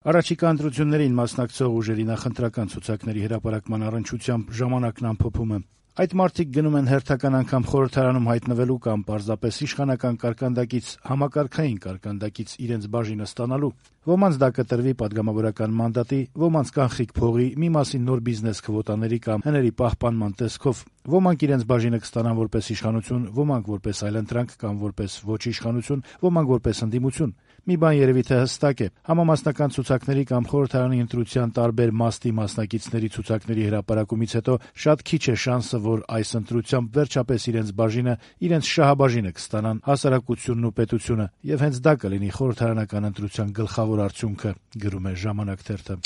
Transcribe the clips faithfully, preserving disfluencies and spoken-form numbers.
Առաջիկա ընտրություններին մասնակցող ուժերի նախընտրական ցուցակների հրապարակման առնչությամբ «Ժամանակն» ամփոփում է. Այդ մարդիկ գնում են հերթական անգամ խորհրդարանում հայտնվելու կամ պարզապես իշխանական կարկանդակից համակարգային կարկանդակից իրենց բաժինը ստանալու: Ոմանց դա կտրվի պատգամավորական մանդատի, ոմանց կանխիկ փողի, մի մասին նոր բիզնես քվոտաների կամ հների պահպանման տեսքով: Ոմանք իրենց բաժինը կստանան որպես իշխանություն, ոմանք որպես այլընտրանք կամ որպես ոչ իշխանություն, ոմանք որպես ընդդիմություն: Մի բան երևի թե հստակ է. համամասնական ցուցակների կամ խորհրդարանի ընտրության տարբեր մաստի մասնակիցների ցուցակների հրապարակումից հետո շատ քիչ է շանսը, որ այս ընտրությամբ վերջապես իրենց բաժինը, իրենց շահաբաժինը կստանան հասարակությունն ու պետությունը, եւ հենց դա կլինի խորհրդարանական ընտրության գլխավոր արդյունքը, գրում է «Ժամանակ» թերթը: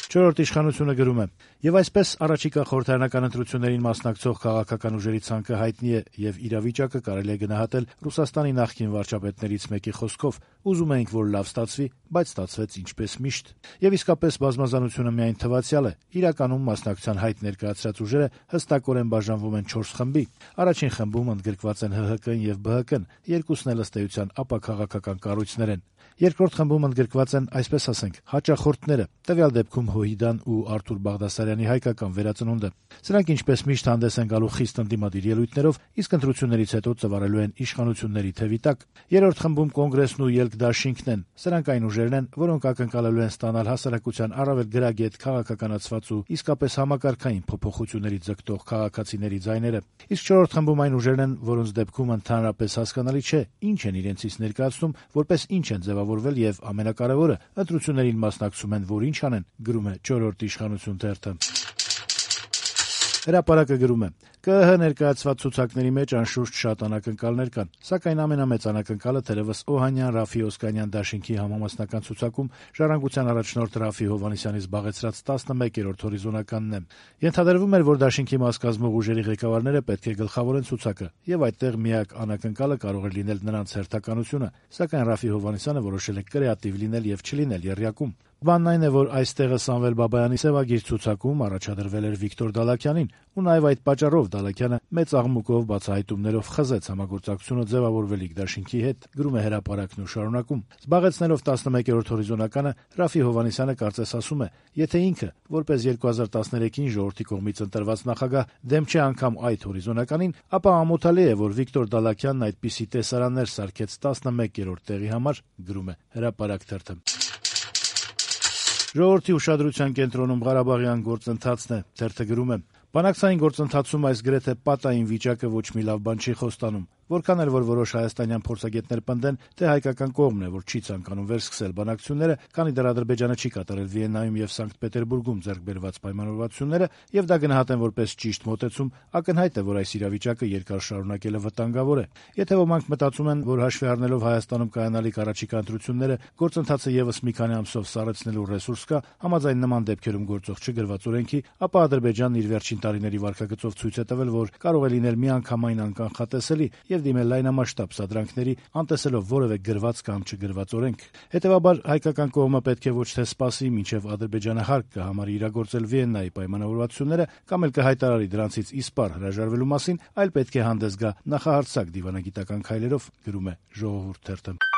«Չորրորդ իշխանություն»-ը գրում է. «Եվ այսպես առաջիկա խորհրդարանական ընտրություններին մասնակցող քաղաքական ուժերի ցանկը հայտնի է, եւ իրավիճակը կարելի է գնահատել Ռուսաստանի նախկին վարչապետներից մեկի խոսքով. ուզում էինք, որ լավ ստացվի, բայց ստացվեց ինչպես միշտ: Եվ իսկապես բազմազանությունը միայն թվացյալ է: Իրականում մասնակցության հայտ ներկայացրած ուժերը հստակորեն բաժանվում են չորս խմբի: Առաջին խմբում ընդգրկված են ՀՀԿ-ն եւ ԲՀԿ-ն, երկուսն էլ ըստ էության ապաքաղաքական կառույցներ են: Երկրորդ խմբում ընդգրկված են, այսպես ասենք, հաճախորդները, տվյալ դեպքում Հոհիդան ու Արթուր Բաղդասարյանի հայկական վերածնունդը: Սրանք ինչպես միշտ հանդես են գալու խիստ ընդդիմադիր ելույթներով, իսկ ընտրություններից հետո ծվարելու են իշխանությունների թևի տակ: Երրորդ խմբում Կոնգրեսն ու ԵԼԿ-Դաշինքն են: Սրանք այն ուժերն են, որոնք ակնկալելու են ստանալ հասարակության առավել գրագետ, քաղաքականացված ու իսկապես համակարգային փոփոխությունների ձգտող քաղաքացիների ձայները: Իսկ չորրորդ խմբում այն ուժերն են, որոնց դեպքում ընդհանրապես հասկանալի չէ ինչ են իրենցից ներկայացնում, որպես ինչ են ձեւավորվել եւ, ամենակարեւորը, ընտրություններին մասնակցում են, որ ինչ անեն, գրում է «Չորրորդ իշխանություն» թերթը: «Հրապարակ»-ը գրում է. - «ԿԸՀ ներկայացված ցուցակների մեջ անշուշտ շատ անակնկալներ կան, սակայն ամենամեծ անակնկալը թերեւս Օհանյան, Րաֆֆի Օսկանյան դաշինքի համամասնական ցուցակում «Ժառանգության» առաջնորդ Րաֆֆի Հովհաննիսյանի զբաղեցրած տասնմեկերորդ հորիզոնականն է: Ենթադրվում էր, որ դաշինքի մաս կազմող ուժերի ղեկավարները պետք է գլխավորեն ցուցակը, եւ այդտեղ միակ անակնկալը կարող էր լինել նրանց հերթականությունը, սակայն Րաֆֆի Հովհաննիսյանը որոշել է կրեատիվ լինել եւ չլինել եռյակում: Բանն այն է, որ այստեղը Սամվել Բաբայանի սեւագիր ցուցակում առաջադրվել էր Վիկտոր Դալաքյանին, ու նաեւ այդ պատճառով Դալաքյանը մեծ աղմուկով, բացահայտումներով խզեց համագործակցությունը ձեւավորվելիք դաշինքի հետ, գրում է «Հրապարակ»-ն ու շարունակում. զբաղեցնելով տասնմեկերորդ հորիզոնականը, Րաֆֆի Հովհաննիսյանը կարծես ասում է. եթե ինքը, որպես երկու հազար տասներեքին ժողովրդի կողմից ընտրված նախագահ, դեմ չէ անգամ այդ հորիզոնականին, ապա ամոթալի է, որ Վիկտոր Դալաքյանն այդպիսի տեսարաններ սարքեց տասնմեկերորդ տեղի համար, գրում է «Հրապարակ» թերթը: Ժողովրդի ուշադրության կենտրոնում Ղարաբաղյան գործընթացն է: Թերթը գրում է. - «Բանակցային գործընթացում այս գրեթե պատային վիճակը ոչ մի լավ բան չի խոստանում: Որքան էլ որ որոշ հայաստանյան փորձագետներ պնդեն, թե հայկական կողմն է, որ չի ցանկանում վերսկսել բանակցությունները, քանի դեռ Ադրբեջանը չի կատարել Վիեննայում եւ Սանկտ Պետերբուրգում ձեռք բերված պայմանավորվածությունները, եւ դա գնահատեն որպես ճիշտ մոտեցում, ակնհայտ է, որ այս իրավիճակը երկար շարունակելը վտանգավոր է: Եթե ոմանք մտածում են, որ հաշվի առնելով Հայաստանում կայանալիք առաջիկա ընտրությունները, գործընթացը եւս մի քանի ամսով սառեցնելու ռեսուրս կա, համաձայն նման դեպքերում գործող չգրված օրենքի, ապա Ադրբեջանն իր վերջին տարիների վարքագծով ցույց է տվել, որ կարող է լինել միանգամայն անկանխատեսելի եւ դիմել լայնամասշտաբ սադրանքների, անտեսելով որեւէ գրված կամ չգրված օրենք: Հետեւաբար հայկական կողմը պետք է ոչ թե սպասի, մինչեւ Ադրբեջանը հարկ կհամարի իրագործել Վիեննայի պայմանավորվածությունները կամ էլ կհայտարարի դրանցից իսպառ հրաժարվելու մասին, այլ պետք է հանդես գա նախահարձակ դիվանագիտական քայլերով, գրում է «Ժողովուրդ» թերթը: